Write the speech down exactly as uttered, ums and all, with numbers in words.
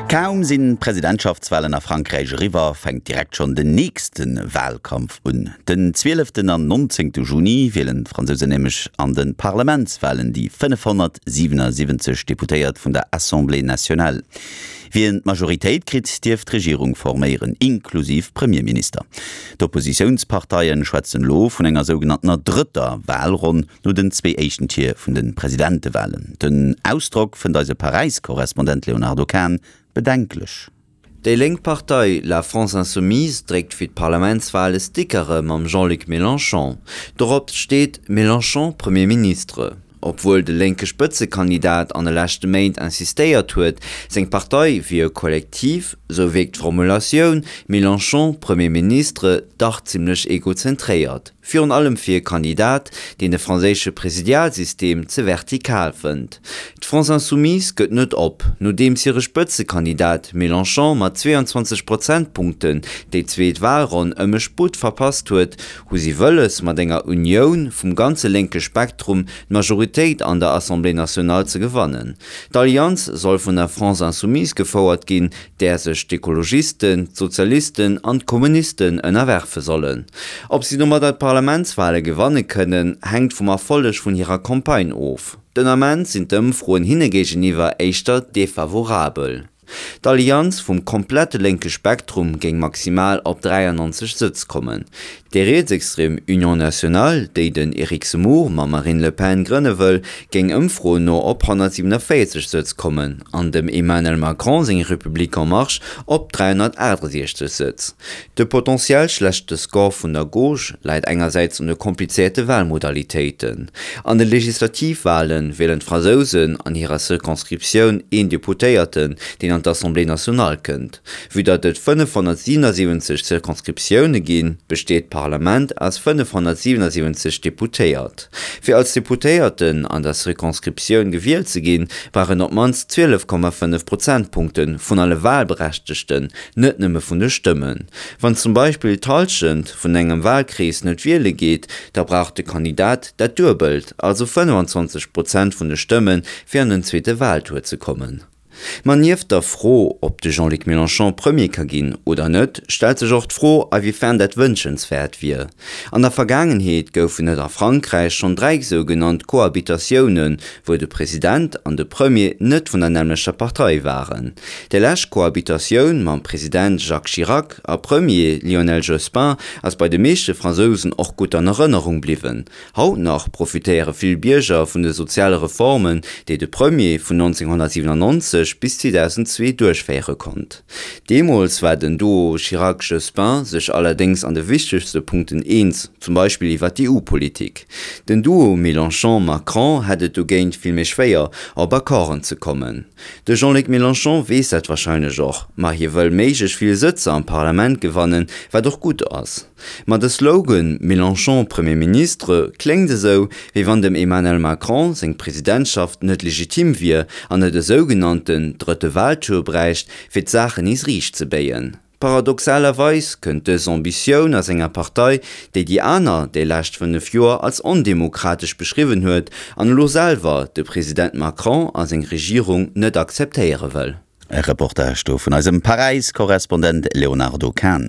Kaum sinn d'Presidentschaftswalen a Frankräich eriwwer, fänkt direkt schonn den nächste Walkampf un. Den zwieleften an nonzéngte Juni wielen d'Fransousen nämlech an de Parlamentswalen déi fënnefhonnertsiwenasiwwenzeg Deputéiert vun der Assemblée nationale. Wien d'Majoritéit kritt, dierf d'Regierung forméieren, inklusiv Premierminister. D'Oppositiounsparteie schwätzen elo vun enger sougenanntener drëtter Walronn no den zwee éischten Tier vun de Presidentewalen. Den Ausdrock fënnt eise Paräis-Korrespondent Léonardo Kahn bedenklech. Déi lénk Partei La France Insoumise dréckt fir d'Parlamentswale Stickere mam Jean-Luc Mélenchon. Dorop steet Mélenchon Premier ministre. Obwuel de lénke Spëtzekandidat an de leschte Méint insistéiert huet, seng Partei wier e Kollektiv, sou wierkt d'Formulatioun Mélenchon Premier ministre dach zimmlech egozentréiert. Virun allem fir e Kandidat, deen de franséische Presidialsystem ze vertikal fënnt. D'France Insoumise gëtt net op. Nodeems hire Spëtzekandidat Mélenchon mat zweeanzwanzeg Prozentpunkten déi zweet Walronn ëm e Sputt verpasst huet, hu si wëlles, mat enger Unioun vum ganze lénke Spektrum d'Majoritéit an der Assemblée nationale ze gewannen. D'Allianz soll vun der France Insoumise gefouert ginn, där sech d'Ekologisten, d'Sozialisten an d'Kommunisten ënnerwerfe sollen. Ob si domadder d'Parlamentswale gewanne kënnen, hänkt vum Erfolleg vun hirer Campagne of. Den Ament sinn d'Ëmfroen hinne géigeniwwer éischter defavorabel. D'Allianz vum komplette lénke Spektrum géing maximal op dräiannonzeg Sëtz kommen. Déi rietsextrem Union nationale, déi den Eric Zemmour mam Marine Le Pen grënne wëll, géing Ëmfroen no op honnertsiwenavéierzeg Sëtz kommen an dem Emmanuel Macron seng République en marche op dräihonnertaachtasechzeg Sëtz. De potentiell schlechte Score vun der Gauche läit engersäits un de komplizéierte Walmodalitéiten. An de Legislativwale wielen d'Fransousen an hirer Circonscriptioun een Deputéierten, deen an d'Assemblée nationale kënnt. Vue datt et fënnefhonnertsiwenasiwwenzeg Circonscriptioune ginn, besteet d'Parlament aus fënnefhonnertsiwenasiwwenzeg Deputéiert. Fir als Deputéierten an der Circonscriptioun gewielt ze ginn, brauch een op d'mannst zwielef Komma fënnef Prozentpunkte vun alle Walberechtegten, net nëmme vun de Stëmmen. Wann zum Beispill d'Hallschent vun engem Walkrees net wiele geet, da brauch de Kandidat dat Duebelt, also fënnefenzwanzeg Prozent vun de Stëmmen, fir an den zweete Waltour ze kommen. Ma nieft der Fro, ob de Jean-Luc Mélenchon Premier ka ginn oder net, stellt sech och d'Fro, awéifern dat wënschenswäert wier. An der Vergaangenheet goufen et a Frankräich schonn dräi sougenannt Cohabitatiounen, wou de President an de Premier net vun der nämmlechter Partei waren. Déi lescht Cohabitatioun mam President Jacques Chirac a Premier Lionel Jospin ass bei de meeschte Fransousen och gutt an Erënnerung bliwwen. Haut nach profitéiere vill Bierger vun de soziale Reformen, déi de Premier vun nonzénghonnertsiwenannonzeg bis zweedausendzwee duerchféiere konnt. Deemools war den Duo Chirac-Jospin sech allerdéngs an de wichtegste Punkten eens, zum Beispill iwwer d'EU-Politik. Den Duo Mélenchon-Macron hätt et dogéint vill méi schwéier, op Accorden ze kommen. De Jean-Luc Mélenchon weess dat warscheinlech och, ma hie wëll méiglech vill Sëtzer am Parlament gewannen, wat och gutt ass. Ma de Slogan Mélenchon Premier ministre kléngt esou, wéi wann dem Emmanuel Macron seng Presidentschaft net legitim wier an et e sougenannten drëtte Waltour bräicht, fir d'Saachen nees riicht ze béien. Paradoxalerweis kënnt dës Ambitioun aus enger Partei, déi déi aner déi lescht fënnef Joer als ondemokratesch beschriwwen huet an elo selwer de President Macron a seng Regierung net akzeptéiere wëll. E Reportage do vun eisem Paräis-Korrespondent Léonardo Kahn.